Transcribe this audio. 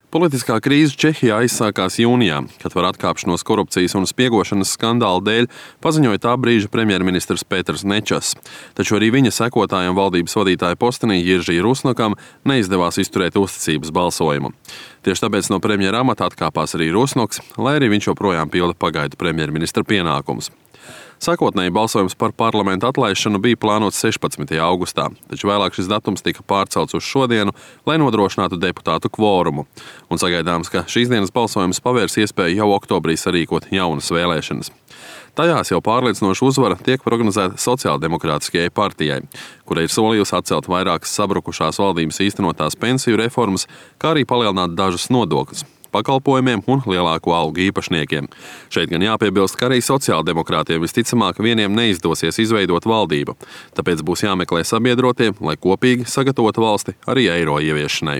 Politiskā krīze Čehijā aizsākās jūnijā, kad par atkāpšanos korupcijas un spiegošanas skandāla dēļ paziņoja tā brīža premjerministrs Petrs Nečas. Taču arī viņa sekotājam valdības vadītāja postenī Jiržī Rusnokam neizdevās izturēt uzticības balsojumu. Tieši tāpēc no premjera amata atkāpās arī Rusnoks, lai arī viņš joprojām pilda pagaidu premjerministra pienākumus. Sākotnēji balsojums par parlamenta atlaišanu bija plānots 16. augustā, taču vēlāk šis datums tika pārcelts uz šodienu, lai nodrošinātu deputātu kvorumu. Un sagaidāms, ka šīs dienas balsojums pavērs iespēju jau oktobrī sarīkot jaunas vēlēšanas. Tajās jau pārliecinoša uzvara tiek prognozēta Sociāldemokrātiskajai partijai, kura ir solījusi atcelt vairākas sabrukušās valdības īstenotās pensiju reformas, kā arī palielināt dažus nodokļus pakalpojumiem un lielāko algu īpašniekiem. Šeit gan jāpiebilst, ka arī sociāldemokrātiem visticamāk vieniem neizdosies izveidot valdību, tāpēc būs jāmeklē sabiedrotie, lai kopīgi sagatavotu valsti arī eiro ieviešanai.